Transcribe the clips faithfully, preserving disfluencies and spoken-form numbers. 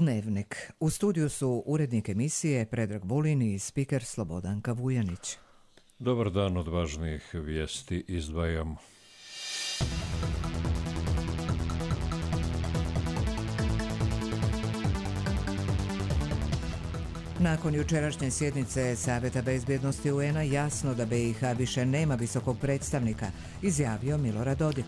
Dnevnik. U studiju su urednik emisije Predrag Vulin i spiker Slobodanka Vujanić. Dobar dan, od važnijih vijesti izdvajamo. Nakon jučerašnje sjednice Savjeta bezbjednosti U N-a jasno da B i H više nema visokog predstavnika, izjavio Milorad Dodik.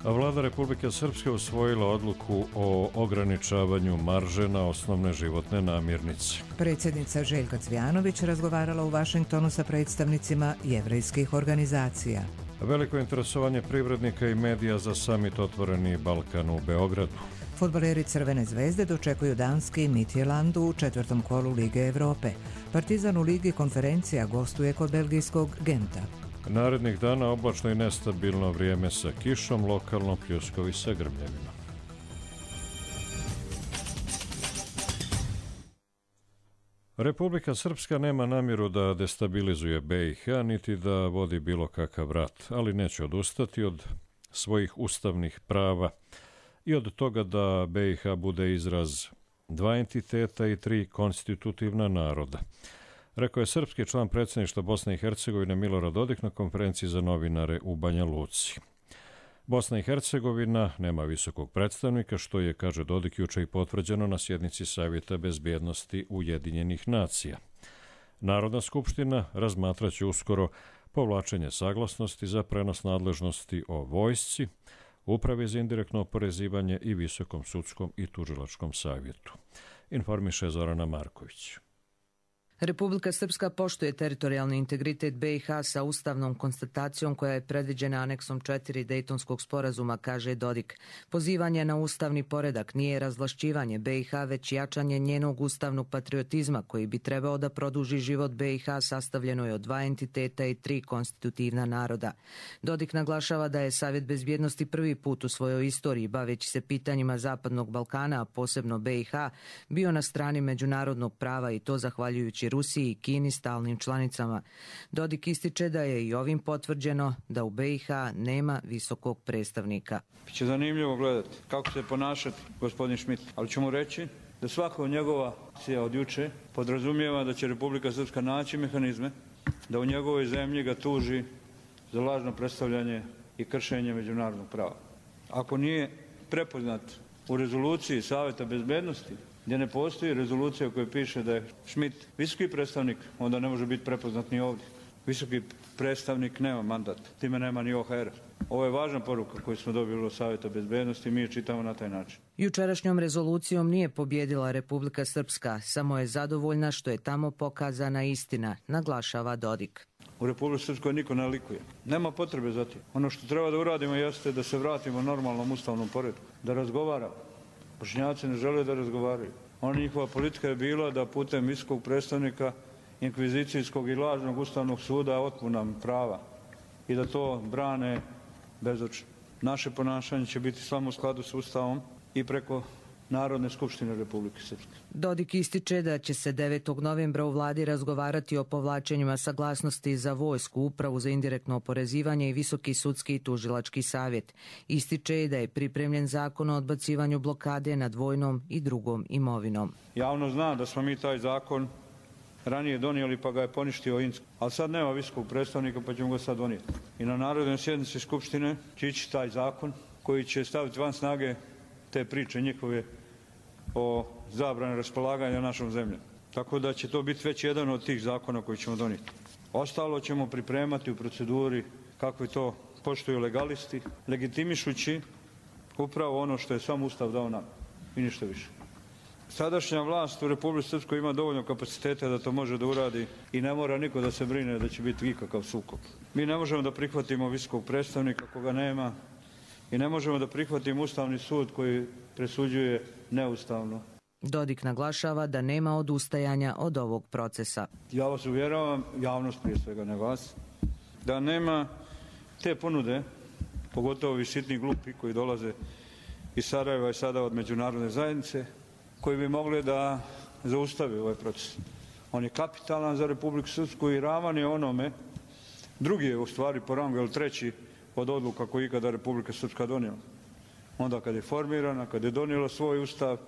A vlada Republike Srpske usvojila odluku o ograničavanju marže na osnovne životne namirnice. Predsjednica Željka Cvjanović razgovarala u Vašingtonu sa predstavnicima jevrejskih organizacija. Veliko interesovanje privrednika i medija za samit Otvoreni Balkan u Beogradu. Fudbaleri Crvene zvezde dočekuju danski Midtjylland u četvrtom kolu Lige Europe. Partizan u Ligi konferencija gostuje kod belgijskog Genta. Narednih dana oblačno i nestabilno vrijeme sa kišom, lokalno pljuskovi sa grmljevima. Republika Srpska nema namjeru da destabilizuje B i H, niti da vodi bilo kakav rat, ali neće odustati od svojih ustavnih prava i od toga da B i H bude izraz dva entiteta i tri konstitutivna naroda, rekao je srpski član predsjedništva Bosne i Hercegovine Milorad Dodik na konferenciji za novinare u Banja Luci. Bosna i Hercegovina nema visokog predstavnika, što je, kaže Dodik, juče i potvrđeno na sjednici Savjeta bezbjednosti Ujedinjenih nacija. Narodna skupština razmatraće uskoro povlačenje saglasnosti za prenos nadležnosti o vojsci, Upravi za indirektno oporezivanje i Visokom sudskom i tužilačkom savjetu. Informiše Zorana Marković. Republika Srpska poštuje teritorijalni integritet B i H sa ustavnom konstatacijom koja je predviđena aneksom četiri Dejtonskog sporazuma, kaže Dodik. Pozivanje na ustavni poredak nije razvlašćivanje B i H, već jačanje njenog ustavnog patriotizma koji bi trebao da produži život B i H sastavljenoj od dva entiteta i tri konstitutivna naroda. Dodik naglašava da je Savjet bezbjednosti prvi put u svojoj istoriji, baveći se pitanjima Zapadnog Balkana, a posebno B i H, bio na strani međunarodnog prava i to zahvaljujući Rusiji i Kini stalnim članicama. Dodik ističe da je i ovim potvrđeno da u B i H nema visokog predstavnika. Biće zanimljivo gledati kako se ponašati gospodin Schmidt, ali ću mu reći da svaka od njegova akcija od juče podrazumijeva da će Republika Srpska naći mehanizme da u njegovoj zemlji ga tuži za lažno predstavljanje i kršenje međunarodnog prava. Ako nije prepoznat u rezoluciji Savjeta bezbjednosti, gdje ne postoji rezolucija u kojoj piše da je Schmidt visoki predstavnik, onda ne može biti prepoznat ni ovdje. Visoki predstavnik nema mandat, time nema ni O H R. Ovo je važna poruka koju smo dobili od Savjeta bezbjednosti i mi je čitamo na taj način. Jučerašnjom rezolucijom nije pobjedila Republika Srpska, samo je zadovoljna što je tamo pokazana istina, naglašava Dodik. U Republici Srpskoj niko ne likuje. Nema potrebe za tim. Ono što treba da uradimo jeste da se vratimo normalnom ustavnom poretku, da razgovaramo. Bošnjaci ne žele da razgovaraju. Ona njihova politika je bila da putem visokog predstavnika inkvizicijskog i lažnog ustavnog suda otmu nam prava i da to brane bezočno. Naše ponašanje će biti samo u skladu s Ustavom i preko Narodne skupštine Republike Srpske. Dodik ističe da će se devetog novembra u vladi razgovarati o povlačenjima saglasnosti za vojsku, Upravu za indirektno oporezivanje i Visoki sudski i tužilački savjet. Ističe da je pripremljen zakon o odbacivanju blokade nad vojnom i drugom imovinom. Javno zna da smo mi taj zakon ranije donijeli pa ga je poništio Inc. Ali sad nema visokog predstavnika pa ćemo ga sad donijeti. I na narodnoj sjednici Skupštine će ići taj zakon koji će staviti van snage te priče njihove o zabrani raspolaganja našom zemljom. Tako da će to biti već jedan od tih zakona koji ćemo donijeti. Ostalo ćemo pripremati u proceduri kako je to poštuju legalisti, legitimišući upravo ono što je sam Ustav dao nam i ništa više. Sadašnja vlast u Republici Srpskoj ima dovoljno kapaciteta da to može da uradi i ne mora niko da se brine da će biti ikakav sukob. Mi ne možemo da prihvatimo visokog predstavnika koga nema i ne možemo da prihvatimo Ustavni sud koji presuđuje neustavno. Dodik naglašava da nema odustajanja od ovog procesa. Ja vas uvjeravam, javnost prije svega, ne vas, da nema te ponude, pogotovo ovi sitni glupi koji dolaze iz Sarajeva i sada od međunarodne zajednice, koji bi mogli da zaustavi ovaj proces. On je kapitalan za Republiku Srpsku i ravan je onome, drugi je u stvari po rangu, ili treći od odluka koji ikada Republika Srpska donijela. Onda kad je formirana, kad je donijela svoj ustav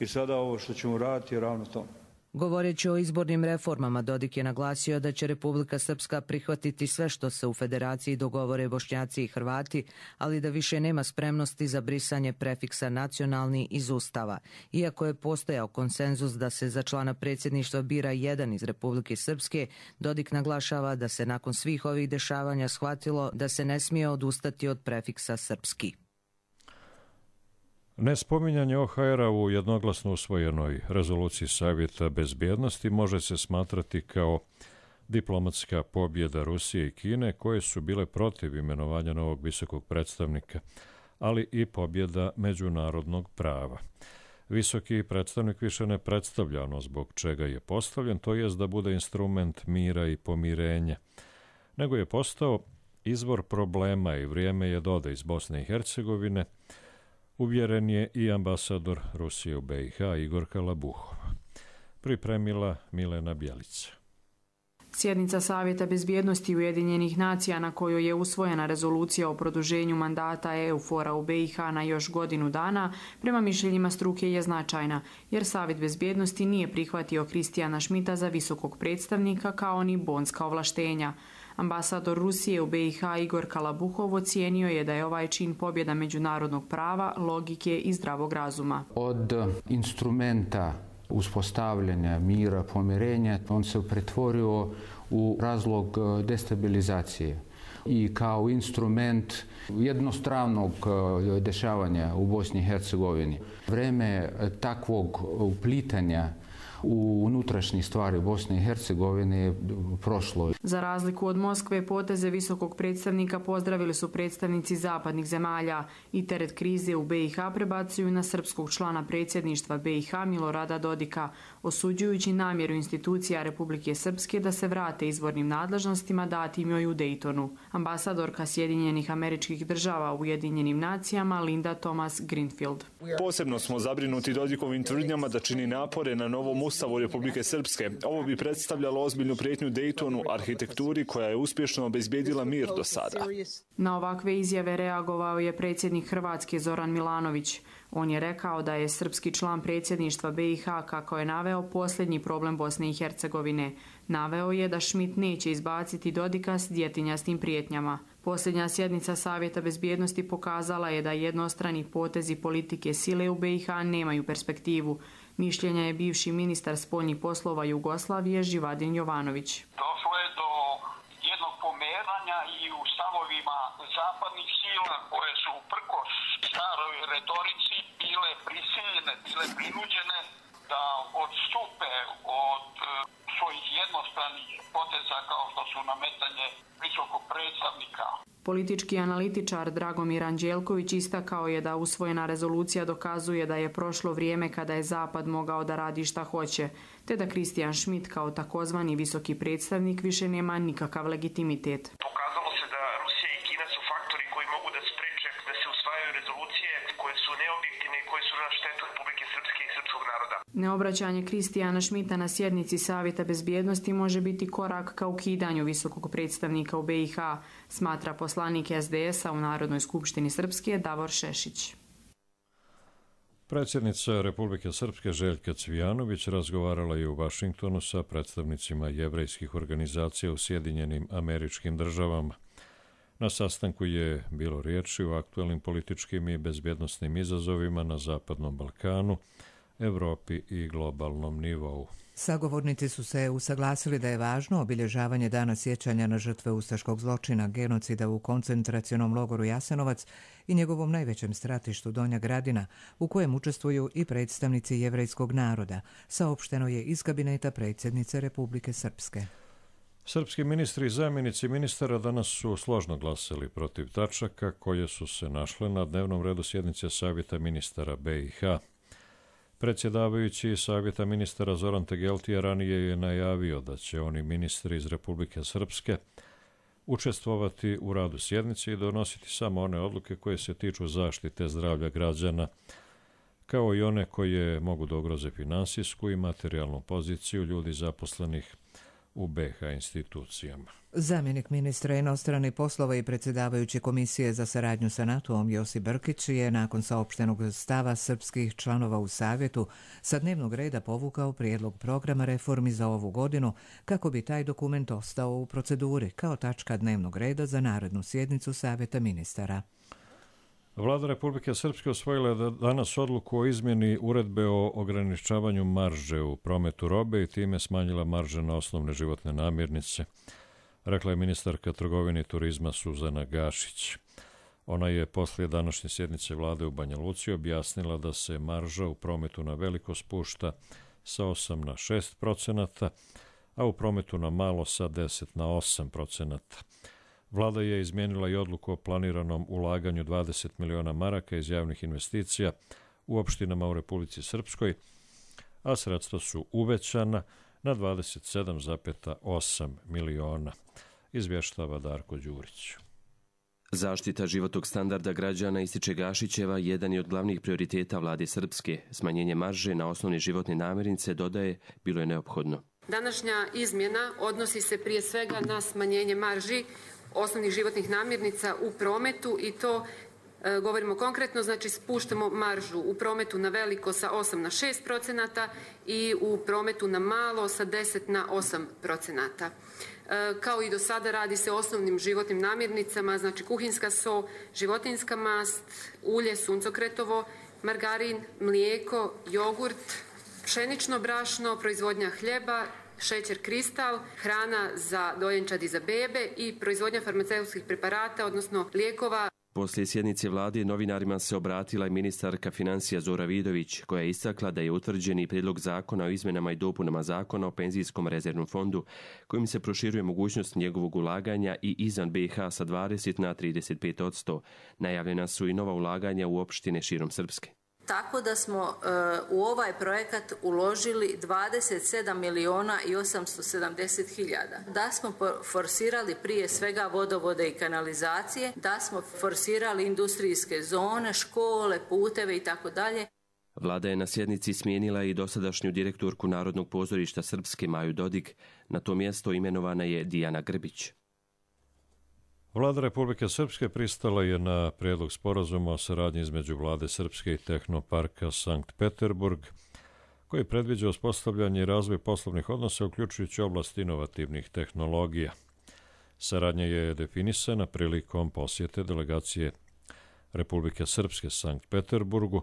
i sada ovo što ćemo raditi je ravno tome. Govoreći o izbornim reformama, Dodik je naglasio da će Republika Srpska prihvatiti sve što se u federaciji dogovore Bošnjaci i Hrvati, ali da više nema spremnosti za brisanje prefiksa nacionalni iz Ustava. Iako je postojao konsenzus da se za člana predsjedništva bira jedan iz Republike Srpske, Dodik naglašava da se nakon svih ovih dešavanja shvatilo da se ne smije odustati od prefiksa srpski. Nespominjanje O H R-a u jednoglasno usvojenoj rezoluciji Savjeta bezbjednosti može se smatrati kao diplomatska pobjeda Rusije i Kine, koje su bile protiv imenovanja novog visokog predstavnika, ali i pobjeda međunarodnog prava. Visoki predstavnik više ne predstavlja ono zbog čega je postavljen, to jest da bude instrument mira i pomirenja, nego je postao izvor problema i vrijeme je da ode iz Bosne i Hercegovine. Uvjeren je i ambasador Rusije u B i H Igor Kalabuhov. Pripremila Milena Bjelica. Sjednica Savjeta bezbjednosti Ujedinjenih nacija na kojoj je usvojena rezolucija o produženju mandata E U F O R-a u B i H na još godinu dana, prema mišljenjima struke je značajna, jer Savjet bezbjednosti nije prihvatio Kristijana Šmita za visokog predstavnika kao ni bonska ovlaštenja. Ambasador Rusije u B i H Igor Kalabuhov ocijenio je da je ovaj čin pobjeda međunarodnog prava, logike i zdravog razuma. Od instrumenta uspostavljanja mira, pomirenja, on se pretvorio u razlog destabilizacije i kao instrument jednostranog dešavanja u Bosni i Hercegovini. Vreme takvog uplitanja u unutrašnje stvari Bosne i Hercegovine je prošlo. Za razliku od Moskve, poteze visokog predstavnika pozdravili su predstavnici zapadnih zemalja i teret krize u B i H prebacuju na srpskog člana predsjedništva B i H Milorada Dodika, osuđujući namjeru institucija Republike Srpske da se vrate izvornim nadležnostima datim joj u Daytonu. Ambasadorka Sjedinjenih Američkih Država u Ujedinjenim nacijama Linda Thomas Greenfield. Posebno smo zabrinuti Dodikovim tvrdnjama da čini napore na novom Ustavu Republike Srpske. Ovo bi predstavljalo ozbiljnu prijetnju Daytonu, arhitekturi koja je uspješno obezbjedila mir do sada. Na ovakve izjave reagovao je predsjednik Hrvatske Zoran Milanović. On je rekao da je srpski član predsjedništva B i H, kako je naveo, posljednji problem Bosne i Hercegovine. Naveo je da Šmit neće izbaciti Dodika s djetinjastim prijetnjama. Posljednja sjednica Savjeta bezbjednosti pokazala je da jednostrani potezi politike sile u B i H nemaju perspektivu. Mišljenja je bivši ministar spoljnih poslova Jugoslavije Živadin Jovanović. Došlo je do jednog pomeranja i u stavovima zapadnih sila koje su uprkos staroj retorici bile prisiljene, bile prinuđene da odstupe od e, svojih jednostranih poteza kao što su nametanje visokog predstavnika. Politički analitičar Dragomir Anđelković istakao je da usvojena rezolucija dokazuje da je prošlo vrijeme kada je Zapad mogao da radi šta hoće, te da Kristijan Šmit kao takozvani visoki predstavnik više nema nikakav legitimitet. Pokazalo se da Rusija i Kina su faktori koji mogu da spreče da se usvajaju rezolucije koje su neobjektivne i koje su na štetu Republike Srpske i srpskog naroda. Neobraćanje Kristijana Šmita na sjednici Savjeta bezbjednosti može biti korak ka ukidanju visokog predstavnika u B i H, smatra poslanik S D S-a u Narodnoj skupštini Srpske Davor Šešić. Predsjednica Republike Srpske Željka Cvijanović razgovarala je u Vašingtonu sa predstavnicima jevrejskih organizacija u Sjedinjenim Američkim Državama. Na sastanku je bilo riječi o aktualnim političkim i bezbjednosnim izazovima na Zapadnom Balkanu, Evropi i globalnom nivou. Sagovornici su se usaglasili da je važno obilježavanje dana sjećanja na žrtve ustaškog zločina, genocida u koncentracionom logoru Jasenovac i njegovom najvećem stratištu Donja Gradina, u kojem učestvuju i predstavnici jevrejskog naroda, saopšteno je iz kabineta predsjednice Republike Srpske. Srpski ministri i zamjenici ministara danas su složno glasali protiv tačaka koje su se našle na dnevnom redu sjednice Savjeta ministara B i H. Predsjedavajući Savjeta ministara Zoran Tegeltija ranije je najavio da će oni ministri iz Republike Srpske učestvovati u radu sjednice i donositi samo one odluke koje se tiču zaštite zdravlja građana, kao i one koje mogu da ugroze finansijsku i materijalnu poziciju ljudi zaposlenih u be ha institucijama. Zamjenik ministra inostranih poslova i predsjedavajući Komisije za saradnju sa NATO-om Josip Brkić je nakon saopštenog stava srpskih članova u Savjetu sa dnevnog reda povukao prijedlog programa reformi za ovu godinu kako bi taj dokument ostao u proceduri kao tačka dnevnog reda za narednu sjednicu Savjeta ministara. Vlada Republike Srpske osvojila je danas odluku o izmjeni uredbe o ograničavanju marže u prometu robe i time smanjila marže na osnovne životne namirnice, rekla je ministarka trgovine i turizma Suzana Gašić. Ona je poslije današnje sjednice vlade u Banja Luci objasnila da se marža u prometu na veliko spušta sa osam na šest procenata, a u prometu na malo sa deset na osam procenata. Vlada je izmijenila i odluku o planiranom ulaganju dvadeset miliona maraka iz javnih investicija u opštinama u Republici Srpskoj, a sredstva su uvećana na dvadeset sedam zarez osam miliona, izvještava Darko Đurić. Zaštita životnog standarda građana, ističe Gašićeva, jedan je od glavnih prioriteta vlade Srpske. Smanjenje marže na osnovne životne namirnice, dodaje, bilo je neophodno. Današnja izmjena odnosi se prije svega na smanjenje marži osnovnih životnih namirnica u prometu i to e, govorimo konkretno, znači spuštamo maržu u prometu na veliko sa osam na šest procenata i u prometu na malo sa deset na osam procenata. E, kao i do sada radi se o osnovnim životnim namirnicama, znači kuhinska so, životinjska mast, ulje, suncokretovo, margarin, mlijeko, jogurt, pšenično brašno, proizvodnja hljeba, šećer kristal, hrana za dojenčad i za bebe i proizvodnja farmaceutskih preparata, odnosno lijekova. Poslije sjednice vlade novinarima se obratila i ministarka financija Zora Vidović, koja je istakla da je utvrđeni prijedlog zakona o izmjenama i dopunama zakona o penzijskom rezervnom fondu, kojim se proširuje mogućnost njegovog ulaganja i izvan be ha sa dvadeset na trideset pet posto. Najavljena su i nova ulaganja u opštine širom Srpske. Tako da smo e, u ovaj projekat uložili dvadeset sedam miliona i osamsto sedamdeset hiljada. Da smo forsirali prije svega vodovode i kanalizacije, da smo forsirali industrijske zone, škole, puteve i tako dalje. Vlada je na sjednici smijenila i dosadašnju direktorku Narodnog pozorišta Srpske Maju Dodik. Na to mjesto imenovana je Dijana Grbić. Vlada Republike Srpske pristala je na prijedlog sporazuma o saradnji između Vlade Srpske i Tehnoparka Sankt Peterburg, koji predviđa uspostavljanje i razvoj poslovnih odnosa, uključujući oblast inovativnih tehnologija. Saradnja je definisana prilikom posjete delegacije Republike Srpske Sankt Peterburgu,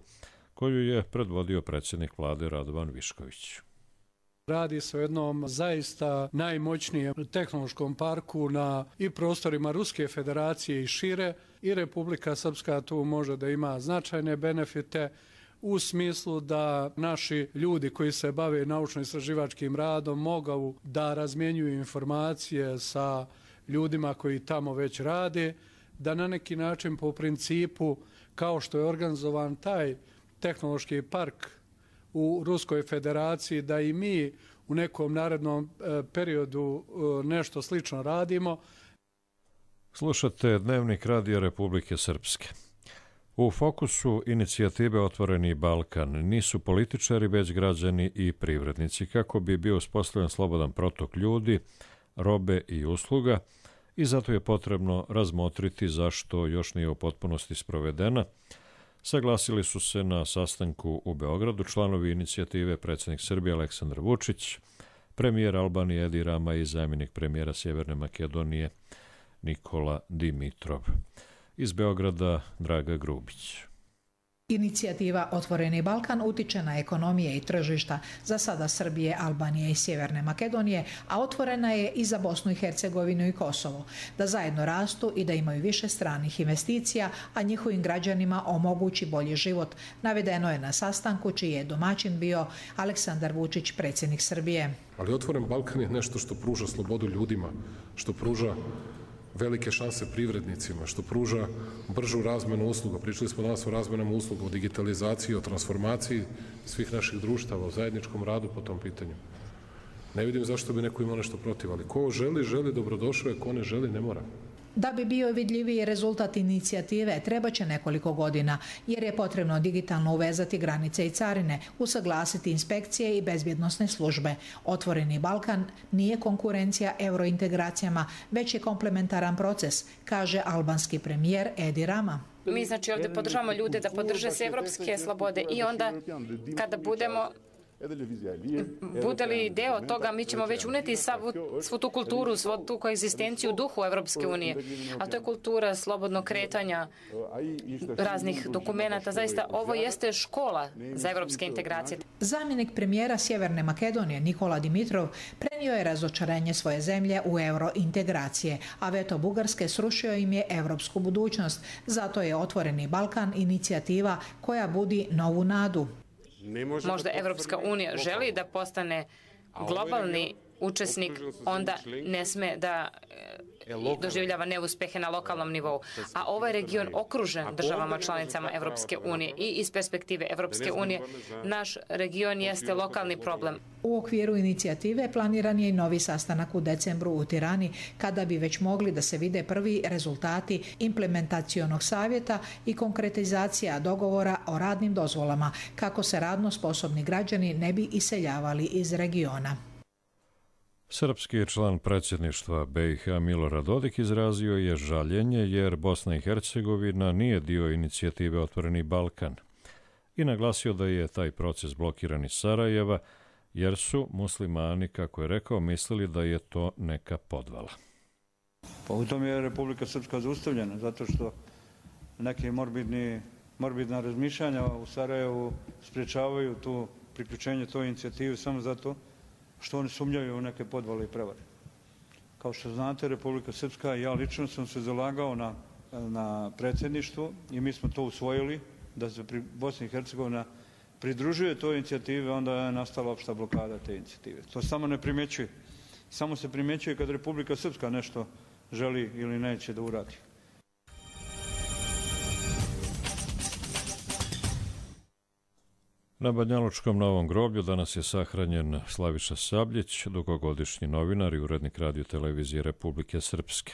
koju je predvodio predsjednik vlade Radovan Višković. Radi se o jednom zaista najmoćnijem tehnološkom parku na i prostorima Ruske federacije i šire, i Republika Srpska tu može da ima značajne benefite u smislu da naši ljudi koji se bave naučno-istraživačkim radom mogu da razmjenjuju informacije sa ljudima koji tamo već rade, da na neki način po principu kao što je organizovan taj tehnološki park u Ruskoj federaciji, da i mi u nekom narednom periodu nešto slično radimo. Slušate Dnevnik Radija Republike Srpske. U fokusu inicijative Otvoreni Balkan nisu političari, već građani i privrednici, kako bi bio uspostavljen slobodan protok ljudi, robe i usluga, i zato je potrebno razmotriti zašto još nije u potpunosti sprovedena. Saglasili su se na sastanku u Beogradu članovi inicijative predsjednik Srbije Aleksandar Vučić, premijer Albanije Edi Rama i zamjenik premijera Sjeverne Makedonije Nikola Dimitrov. Iz Beograda Draga Grubić. Inicijativa Otvoreni Balkan utiče na ekonomije i tržišta za sada Srbije, Albanije i Sjeverne Makedonije, a otvorena je i za Bosnu i Hercegovinu i Kosovo, da zajedno rastu i da imaju više stranih investicija, a njihovim građanima omogući bolji život, navedeno je na sastanku čiji je domaćin bio Aleksandar Vučić, predsjednik Srbije. Ali Otvoren Balkan je nešto što pruža slobodu ljudima, što pruža velike šanse privrednicima, što pruža bržu razmenu usluga. Pričali smo danas o razmenama usluga, o digitalizaciji, o transformaciji svih naših društava, o zajedničkom radu po tom pitanju. Ne vidim zašto bi neko imao nešto protiv, ali ko želi, želi, dobrodošao je, ko ne želi, ne mora. Da bi bio vidljiviji rezultat inicijative, treba će nekoliko godina, jer je potrebno digitalno uvezati granice i carine, usaglasiti inspekcije i bezbjednosne službe. Otvoreni Balkan nije konkurencija eurointegracijama, već je komplementaran proces, kaže albanski premijer Edi Rama. Mi znači ovdje podržavamo ljude da podrže se evropske slobode i onda kada budemo bude li deo toga, mi ćemo već uneti svu, svu tu kulturu, svu tu koegzistenciju u duhu Evropske unije. A to je kultura slobodnog kretanja raznih dokumenata. Zaista ovo jeste škola za evropske integracije. Zamjenik premijera Sjeverne Makedonije Nikola Dimitrov prenio je razočarenje svoje zemlje u eurointegracije, a veto Bugarske srušio im je evropsku budućnost. Zato je Otvoreni Balkan inicijativa koja budi novu nadu. Možda Evropska unija želi da postane globalni učesnik, onda ne sme da doživljava neuspehe na lokalnom nivou. A ovaj region okružen državama članicama Evropske unije i iz perspektive Evropske unije naš region jeste lokalni problem. U okviru inicijative planiran je i novi sastanak u decembru u Tirani, kada bi već mogli da se vide prvi rezultati implementacionog savjeta i konkretizacija dogovora o radnim dozvolama, kako se radno sposobni građani ne bi iseljavali iz regiona. Srpski član predsjedništva B i H Milorad Dodik izrazio je žaljenje jer Bosna i Hercegovina nije dio inicijative Otvoreni Balkan i naglasio da je taj proces blokiran iz Sarajeva jer su muslimani, kako je rekao, mislili da je to neka podvala. Pa u tom je Republika Srpska zaustavljena, zato što neke morbidni, morbidna razmišljanja u Sarajevu sprječavaju tu priključenje toj inicijativi samo zato što oni sumnjaju u neke podvale i prevare. Kao što znate, Republika Srpska i ja lično sam se zalagao na, na predsjedništvo i mi smo to usvojili, da se pri Bosni i Hercegovina pridružuje toj inicijativi, onda je nastala opšta blokada te inicijative. To samo ne primjećuje. Samo se primjećuje kad Republika Srpska nešto želi ili neće da uradi. Na Banjalučkom Novom groblju danas je sahranjen Slaviša Sabljić, dugogodišnji novinar i urednik radio televizije Republike Srpske.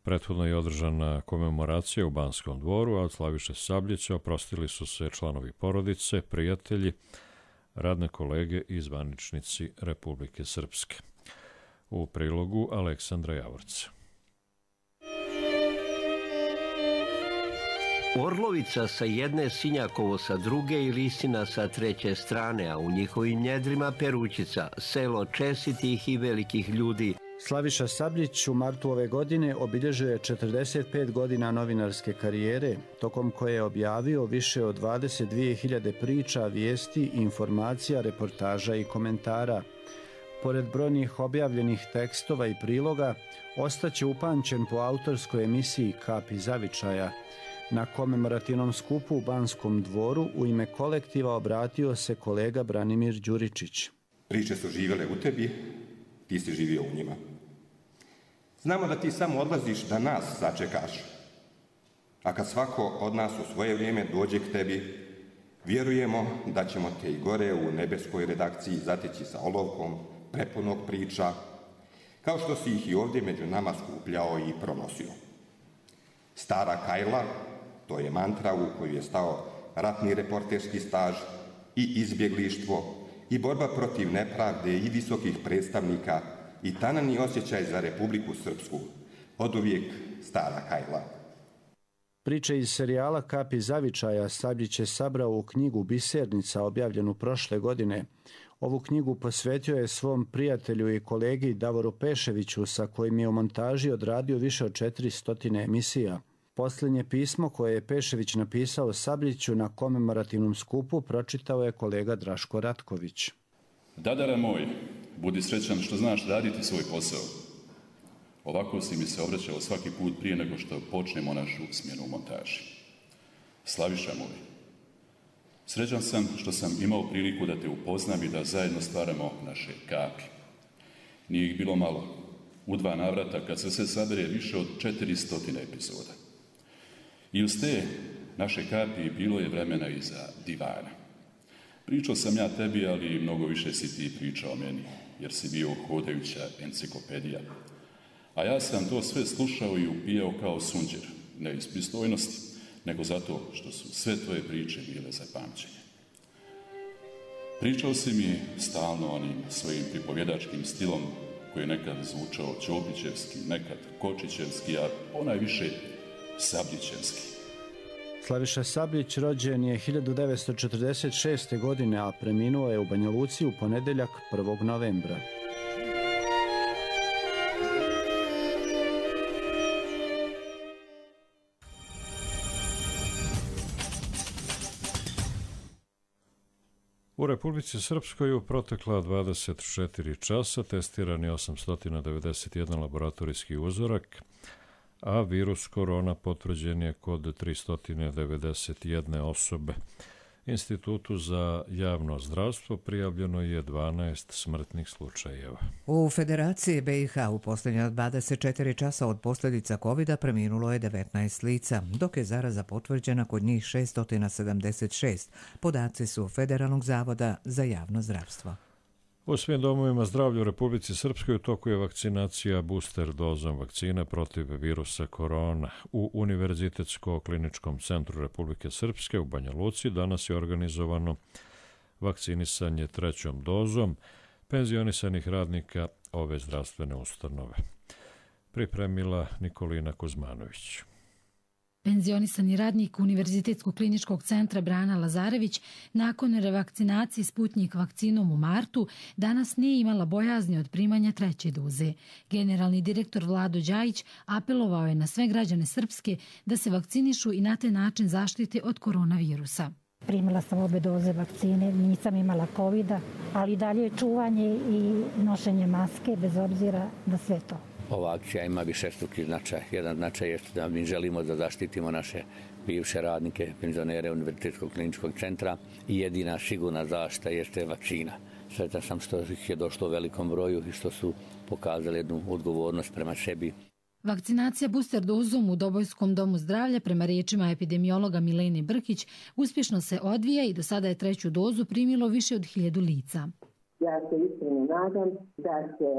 Prethodno je održana komemoracija u Banskom dvoru, a od Slaviše Sabljića oprostili su se članovi porodice, prijatelji, radne kolege i zvaničnici Republike Srpske. U prilogu Aleksandra Javorca. Orlovica sa jedne, Sinjakovo sa druge i Lisina sa treće strane, a u njihovim njedrima Perućica, selo čestitih i velikih ljudi. Slaviša Sabljić u martu ove godine obilježio je četrdeset pet godina novinarske karijere, tokom koje je objavio više od dvadeset dvije hiljade priča, vijesti, informacija, reportaža i komentara. Pored brojnih objavljenih tekstova i priloga, ostaće upamćen po autorskoj emisiji Kapi zavičaja. Na komemorativnom skupu u Banskom dvoru u ime kolektiva obratio se kolega Branimir Đuričić. Priče su živjele u tebi, ti si živio u njima. Znamo da ti samo odlaziš da nas sačekaš, a kad svako od nas u svoje vrijeme dođe k tebi, vjerujemo da ćemo te i gore u nebeskoj redakciji zateći sa olovkom prepunog priča, kao što si ih i ovdje među nama skupljao i pronosio. Stara Kajla, to je mantra u koju je stao ratni reporterski staž i izbjeglištvo i borba protiv nepravde i visokih predstavnika i tanani osjećaj za Republiku Srpsku, oduvijek Stara Kajla. Priče iz serijala Kapi zavičaja Sabljić je sabrao u knjigu Bisernica, objavljenu prošle godine. Ovu knjigu posvetio je svom prijatelju i kolegi Davoru Peševiću, sa kojim je u montaži odradio više od četiristo emisija. Posljednje pismo koje je Pešević napisao Sabljiću na komemorativnom skupu pročitao je kolega Draško Ratković. Dadara moj, budi srećan što znaš raditi svoj posao. Ovako si mi se obraćao svaki put prije nego što počnemo našu smjenu u montaži. Slaviša moj, srećan sam što sam imao priliku da te upoznam i da zajedno stvaramo naše kapi. Nije ih bilo malo. U dva navrata kad se sve sabere više od četiristo epizoda. I uz te naše kapi bilo je vremena i za divana. Pričao sam ja tebi, ali mnogo više si ti pričao meni, jer si bio hodajuća enciklopedija. A ja sam to sve slušao i upijao kao sunđer, ne iz pristojnosti, nego zato što su sve tvoje priče bile za pamćenje. Pričao si mi stalno onim svojim pripovjedačkim stilom koji je nekad zvučao Ćopićevski, nekad Kočićevski, a ponajviše Sabljićevski. Slaviša Sabljić rođen je hiljadu devetsto četrdeset šeste. godine, a preminuo je u Banja Luci u ponedeljak prvog novembra. U Republici Srpskoj u protekla dvadeset četiri časa testiran je osamsto devedeset jedan laboratorijski uzorak, a virus korona potvrđen je kod tristo devedeset jedne osobe. Institutu za javno zdravstvo prijavljeno je dvanaest smrtnih slučajeva. U Federaciji B i H u posljednja dvadeset četiri časa od posljedica kovida preminulo je devetnaest lica, dok je zaraza potvrđena kod njih šesto sedamdeset šest. Podaci su Federalnog zavoda za javno zdravstvo. U svim domovima zdravlja u Republici Srpskoj u toku je vakcinacija booster dozom vakcine protiv virusa korona. U Univerzitetsko-kliničkom centru Republike Srpske u Banja Luci danas je organizovano vakcinisanje trećom dozom penzionisanih radnika ove zdravstvene ustanove. Pripremila Nikolina Kuzmanović. Penzionisani radnik Univerzitetskog kliničkog centra Brana Lazarević nakon revakcinacije Sputnjik vakcinom u martu danas nije imala bojazni od primanja treće doze. Generalni direktor Vlado Đajić apelovao je na sve građane Srpske da se vakcinišu i na taj način zaštite od koronavirusa. Primila sam obe doze vakcine, nisam imala kovida, ali dalje je čuvanje i nošenje maske bez obzira na sve to. Ova akcija ima višestruki značaj. Jedan značaj je da mi želimo da zaštitimo naše bivše radnike, penzionere Univerzitetskog kliničkog centra i jedina sigurna zaštita jeste vakcina. Sretan sam što ih je došlo u velikom broju i što su pokazali jednu odgovornost prema sebi. Vakcinacija booster dozom u Dobojskom domu zdravlja prema riječima epidemiologa Milene Brkić uspješno se odvija i do sada je treću dozu primilo više od hiljadu lica. Ja se iskreno nadam da će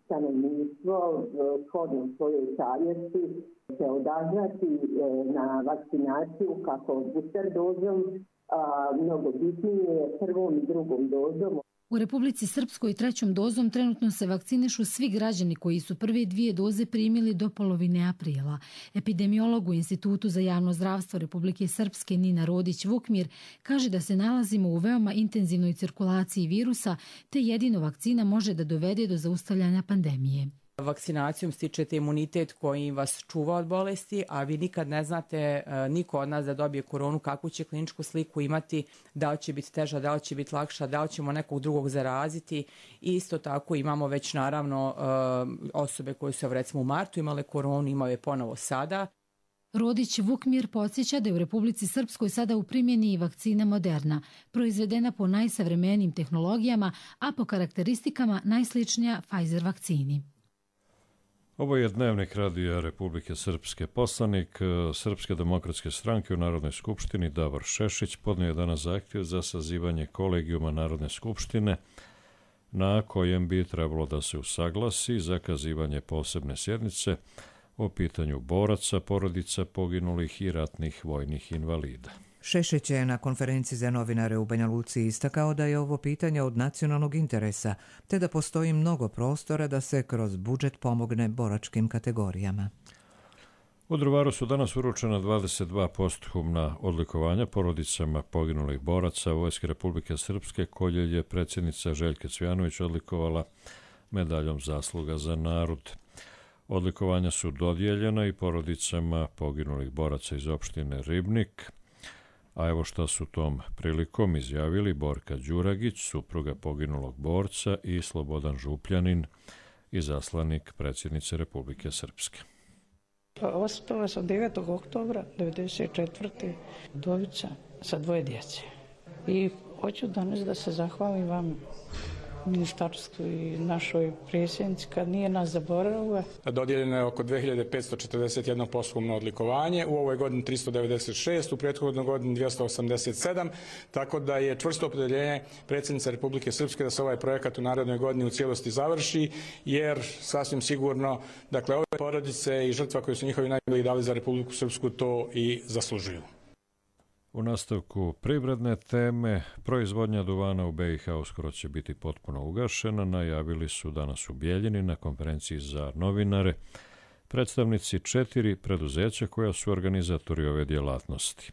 stanovništvo shodno svojoj savjesti se odazvati na vakcinaciju kako booster dozom, a mnogo bitnije prvom i drugom dozom. U Republici Srpskoj trećom dozom trenutno se vakcinišu svi građani koji su prve dvije doze primili do polovine aprila. Epidemiolog u Institutu za javno zdravstvo Republike Srpske Nina Rodić-Vukmir kaže da se nalazimo u veoma intenzivnoj cirkulaciji virusa, te jedino vakcina može da dovede do zaustavljanja pandemije. Vakcinacijom stičete imunitet koji vas čuva od bolesti, a vi nikad ne znate, niko od nas da dobije koronu, kakvu će kliničku sliku imati, da li će biti teža, da li će biti lakša, da li ćemo nekog drugog zaraziti. I isto tako imamo već naravno osobe koje su recimo u martu imale koronu, imaju je ponovo sada. Rodić Vukmir podsjeća da je u Republici Srpskoj sada u primjeni i vakcina Moderna, proizvedena po najsavremenijim tehnologijama, a po karakteristikama najsličnija Pfizer vakcini. Ovo je dnevnik radija Republike Srpske. Poslanik Srpske demokratske stranke u Narodnoj skupštini Davor Šešić podnio je danas zahtjev za sazivanje kolegijuma Narodne skupštine na kojem bi trebalo da se usaglasi zakazivanje posebne sjednice o pitanju boraca, porodica poginulih i ratnih vojnih invalida. Šešić je na konferenciji za novinare u Banja Luci istakao da je ovo pitanje od nacionalnog interesa, te da postoji mnogo prostora da se kroz budžet pomogne boračkim kategorijama. U Drvaru su danas uručena dvadeset dva posthumna odlikovanja porodicama poginulih boraca Vojske Republike Srpske, koje je predsjednica Željka Cvjanović odlikovala medaljom zasluga za narod. Odlikovanja su dodijeljena i porodicama poginulih boraca iz opštine Ribnik, a evo šta su tom prilikom izjavili Borka Đuragić, supruga poginulog borca, i Slobodan Župljanin, izaslanik predsjednice Republike Srpske. Ostala sam devetog oktobra devedeset četvrte udovica sa dvoje djece. I hoću danas da se zahvalim vam ministarstvu i našoj predsjednici kad nije nas zaboravila. Dodijeljeno je oko dve hiljade petsto četrdeset jedno posthumno odlikovanje, u ovoj godini tristo devedeset šest, u prethodnoj godini dvjesto osamdeset sedam, tako da je čvrsto opredjeljenje predsjednice Republike Srpske da se ovaj projekat u narednoj godini u cijelosti završi, jer sasvim sigurno, dakle, ove porodice i žrtva koje su njihovi najmiliji dali za Republiku Srpsku to i zaslužuju. U nastavku privredne teme, proizvodnja duvana u B i H uskoro će biti potpuno ugašena, najavili su danas u Bijeljini na konferenciji za novinare predstavnici četiri preduzeća koja su organizatori ove djelatnosti.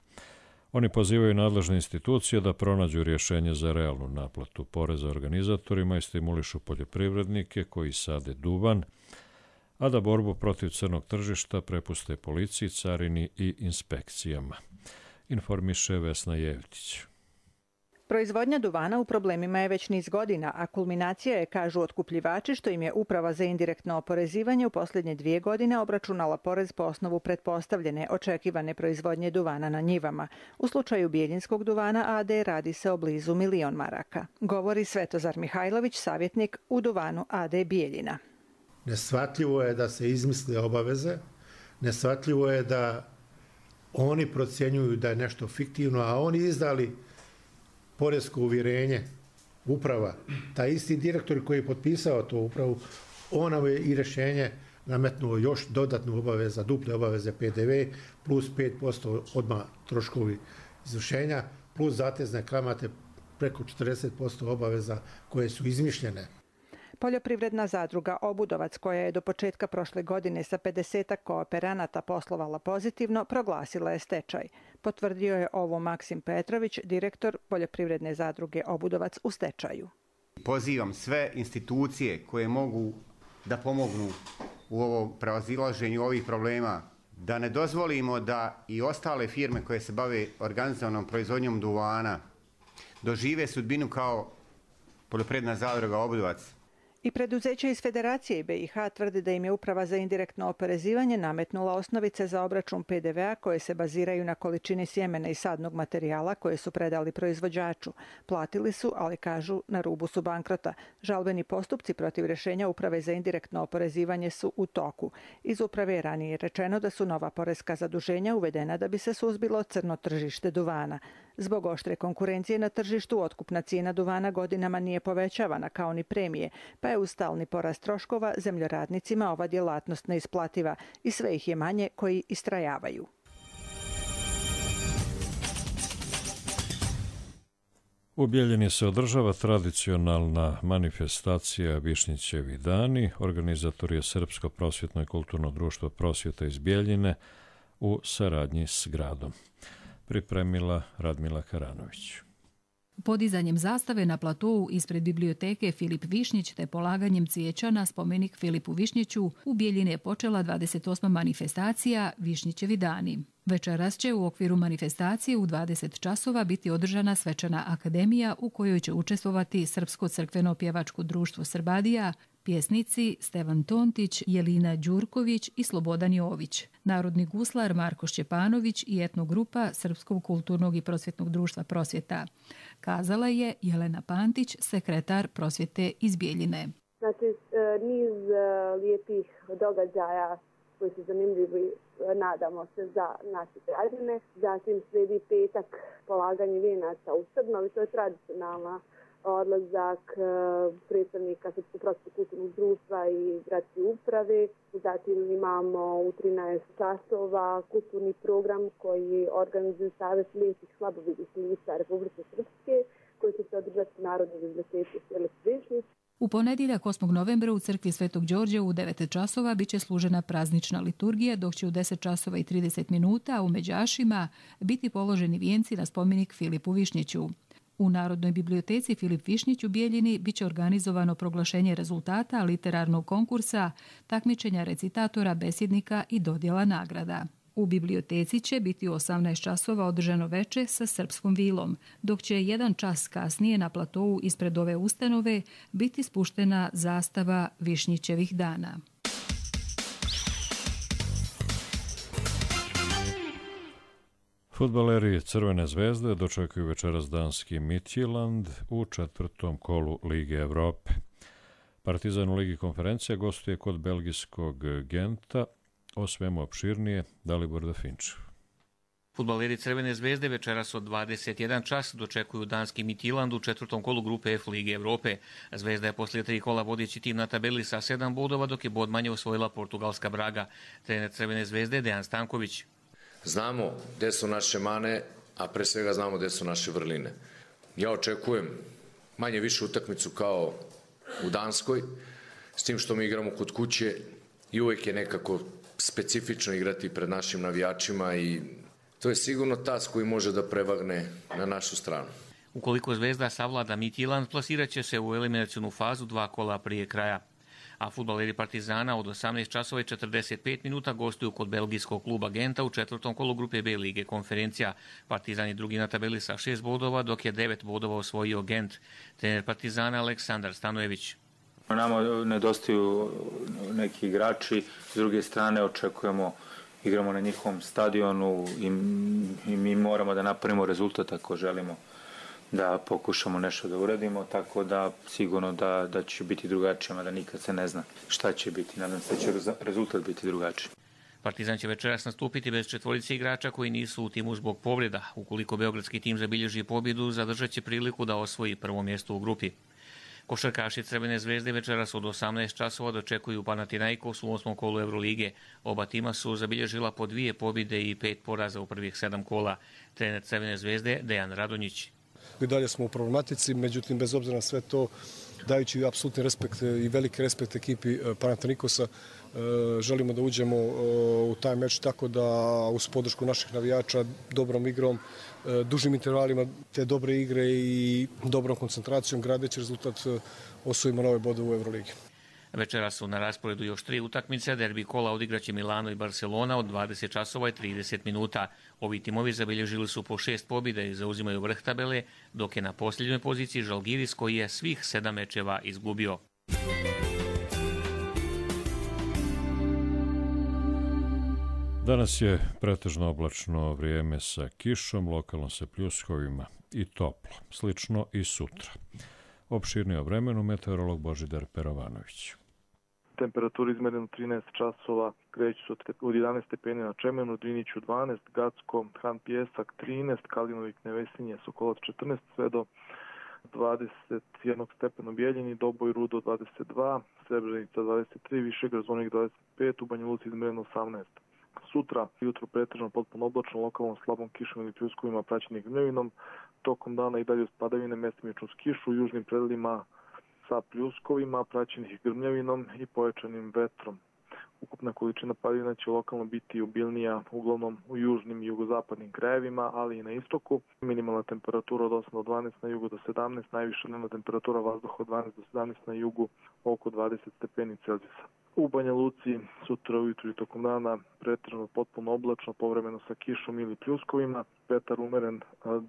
Oni pozivaju nadležne institucije da pronađu rješenje za realnu naplatu poreza organizatorima i stimulišu poljoprivrednike koji sade duvan, a da borbu protiv crnog tržišta prepuste policiji, carini i inspekcijama. Informiše Vesna Jevtić. Proizvodnja duvana u problemima je već niz godina, a kulminacija je, kažu otkupljivači, što im je Uprava za indirektno oporezivanje u posljednje dvije godine obračunala porez po osnovu pretpostavljene očekivane proizvodnje duvana na njivama. U slučaju Bijeljinskog duvana A D radi se o blizu milion maraka. Govori Svetozar Mihajlović, savjetnik u duvanu A D Bijeljina. Neshvatljivo je da se izmisle obaveze, neshvatljivo je da oni procjenjuju da je nešto fiktivno, a oni izdali poresko uvjerenje, uprava, taj isti direktor koji je potpisao to upravu, on nam je i rješenje nametnuo još dodatnu obaveza, duple obaveze P D V, plus pet posto odmah troškovi izvršenja, plus zatezne kamate preko četrdeset posto obaveza koje su izmišljene. Poljoprivredna zadruga Obudovac, koja je do početka prošle godine sa pedesetak kooperanata poslovala pozitivno, proglasila je stečaj. Potvrdio je ovo Maksim Petrović, direktor Poljoprivredne zadruge Obudovac u stečaju. Pozivam sve institucije koje mogu da pomognu u ovom prevazilaženju ovih problema, da ne dozvolimo da i ostale firme koje se bave organizovanom proizvodnjom duvana dožive sudbinu kao Poljoprivredna zadruga Obudovac. I preduzeća iz Federacije B i H tvrde da im je Uprava za indirektno oporezivanje nametnula osnovice za obračun P D V-a koje se baziraju na količini sjemena i sadnog materijala koje su predali proizvođaču. Platili su, ali kažu, na rubu su bankrota. Žalbeni postupci protiv rješenja Uprave za indirektno oporezivanje su u toku. Iz Uprave je ranije rečeno da su nova poreska zaduženja uvedena da bi se suzbilo crno tržište duvana. Zbog oštre konkurencije na tržištu otkupna cijena duvana godinama nije povećavana kao ni premije, pa je uz stalni porast troškova zemljoradnicima ova djelatnost neisplativa i sve ih je manje koji istrajavaju. U Bijeljini se održava tradicionalna manifestacija Višnjićevi dani. Organizator je Srpsko prosvjetno i kulturno društvo prosvjeta iz Bijeljine u saradnji s gradom. Pripremila Radmila Karanović. Podizanjem zastave na platou ispred biblioteke Filip Višnjić te polaganjem cvijeća na spomenik Filipu Višnjiću u Bijeljini je počela dvadeset osma manifestacija Višnjićevi dani. Večeras će u okviru manifestacije u dvadeset časova biti održana svečana akademija u kojoj će učestvovati Srpsko crkveno pjevačko društvo Srbadija, pjesnici Stevan Tontić, Jelina Đurković i Slobodan Jović, narodni guslar Marko Šćepanović i etnogrupa Srpskog kulturnog i prosvjetnog društva Prosvjeta. Kazala je Jelena Pantić, sekretar Prosvjete iz Bijeljine. Znači, niz lijepih događaja koji su zanimljivi, nadamo se, za naše građane. Zatim slijedi petak polaganje vijenaca u Srbnovi, to je tradicionalna odlazak predstavnika Srpskog prosvjetnog kulturnog društva i gradske uprave. Zatim imamo u trinaest časova kulturni program koji organizuje Savez slijepih slabovidih lica Republike Srpske, koji će se održati u Narodnoj biblioteci Filip Višnjić. U ponedjeljak osmog novembra u crkvi Svetog Đorđa u devet časova biće služena praznična liturgija, dok će u deset časova i trideset minuta u Međašima biti položeni vijenci na spomenik Filipu Višnjiću. U Narodnoj biblioteci Filip Višnjić u Bijeljini biće organizovano proglašenje rezultata literarnog konkursa, takmičenja recitatora, besjednika i dodjela nagrada. U biblioteci će biti u osamnaest časova održano veče sa srpskom vilom, dok će jedan čas kasnije na platou ispred ove ustanove biti spuštena zastava Višnjićevih dana. Fudbaleri Crvene zvezde dočekuju večeras danski Midtjylland u četvrtom kolu Lige Evrope. Partizan u Ligi konferencija gostuje kod belgijskog Genta. O svemu opširnije Dalibor Dafinčev. Fudbaleri Crvene zvezde večeras od dvadeset jedan čas dočekuju danski Midtjylland u četvrtom kolu grupe F Lige Evrope. Zvezda je poslije tri kola vodeći tim na tabeli sa sedam bodova, dok je bod manje osvojila portugalska Braga. Trener Crvene zvezde Dejan Stanković. Znamo gde su naše mane, a pre svega znamo gde su naše vrline. Ja očekujem manje više utakmicu kao u Danskoj, s tim što mi igramo kod kuće i uvek je nekako specifično igrati pred našim navijačima i to je sigurno tas koji može da prevagne na našu stranu. Ukoliko Zvezda savlada Midtjylland, plasirat će se u eliminacionu fazu dva kola prije kraja. A fudbaleri Partizana od osamnaest časova i četrdeset pet minuta gostuju kod belgijskog kluba Genta u četvrtom kolu grupe B Lige konferencija. Partizan je drugi na tabeli sa šest bodova, dok je devet bodova osvojio Gent. Trener Partizana Aleksandar Stanojević. Nama nedostaju neki igrači, s druge strane očekujemo, igramo na njihovom stadionu i, i mi moramo da napravimo rezultat ako želimo da pokušamo nešto da uradimo, tako da sigurno da, da će biti drugačije, mada nikad se ne zna šta će biti. Nadam se da će rezultat biti drugačiji. Partizan će večeras nastupiti bez četvorice igrača koji nisu u timu zbog povreda. Ukoliko beogradski tim zabilježi pobjedu, zadržat će priliku da osvoji prvo mjesto u grupi. Košarkaši Crvene zvezde večeras od osamnaest časova dočekuju Panathinaikos u osmom kolu Evrolige. Oba tima su zabilježila po dvije pobjede i pet poraza u prvih sedam kola. Trener Crvene zvezde Dejan Radonjić. I dalje smo u problematici, međutim, bez obzira na sve to, dajući apsolutni respekt i veliki respekt ekipi Panathinaikosa, želimo da uđemo u taj meč tako da uz podršku naših navijača, dobrom igrom, dužim intervalima te dobre igre i dobrom koncentracijom, gradeći rezultat, osvojimo nove bodove u Euroligi. Večera su na rasporedu još tri utakmice. Derbi kola odigraće Milano i Barcelona od dvadeset časova i trideset minuta. Ovi timovi zabilježili su po šest pobjeda i zauzimaju vrh tabele, dok je na posljednjoj poziciji Žalgiris koji je svih sedam mečeva izgubio. Danas je pretežno oblačno vrijeme sa kišom, lokalno sa pljuskovima i toplo, slično i sutra. Opširnije o vremenu meteorolog Božidar Perovanović. Temperatura izmerena trinaest časova, kreću se od jedanaest stepeni na Čemenu, Driniću dvanaest, Gacko, Han Pjesak trinaest, Kalinovik, Nevesinje, Sokolac četrnaest, sve do dvadeset jedan stepena u Bijeljini, Doboj, Rudo dvadeset dva, Srebrenica dvadeset tri, Višegrad, Zvornik dvadeset pet, u Banja Luci izmereno osamnaest. Sutra, jutro pretežno potpuno oblačno, lokalnom slabom kišom ili pljuskovima praćenih gnjevinom, tokom dana i dalje uz padavine mestimično uz kišu, u južnim predelima sa pljuskovima, praćenih grmljavinom i pojačanim vetrom. Ukupna količina padavina će lokalno biti obilnija uglavnom u južnim i jugozapadnim krajevima, ali i na istoku. Minimalna temperatura od osam do dvanaest, na jugu do sedamnaest, najviša dnevna temperatura vazduha od dvanaest do sedamnaest, na jugu oko dvadeset stepeni Celzijusa. U Banja Luci sutra ujutru i tokom dana pretežno potpuno oblačno, povremeno sa kišom ili pljuskovima, vetar umeren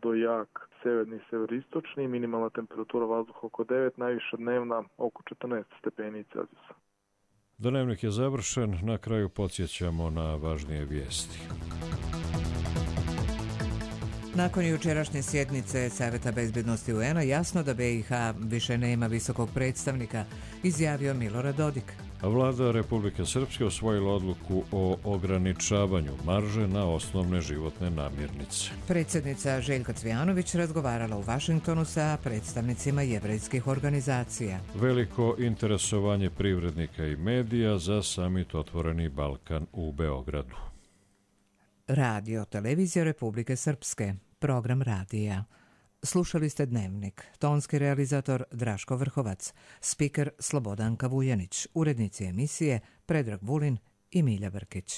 do jak severni i severistočni, minimalna temperatura vazduha oko devet, najviša dnevna oko četrnaest stepeni Celzijusa. Dnevnik je završen, na kraju podsjećamo na važnije vijesti. Nakon jučerašnje sjednice Saveta bezbjednosti U N-a jasno da B i H više nema visokog predstavnika, izjavio Milorad Dodik. Vlada Republike Srpske osvojila odluku o ograničavanju marže na osnovne životne namirnice. Predsjednica Željka Cvijanović razgovarala u Vašingtonu sa predstavnicima jevrejskih organizacija. Veliko interesovanje privrednika i medija za samit Otvoreni Balkan u Beogradu. Radio Televizija Republike Srpske, program radija. Slušali ste Dnevnik, tonski realizator Draško Vrhovac, spiker Slobodanka Vujanić, urednici emisije Predrag Vulin i Milja Brkić.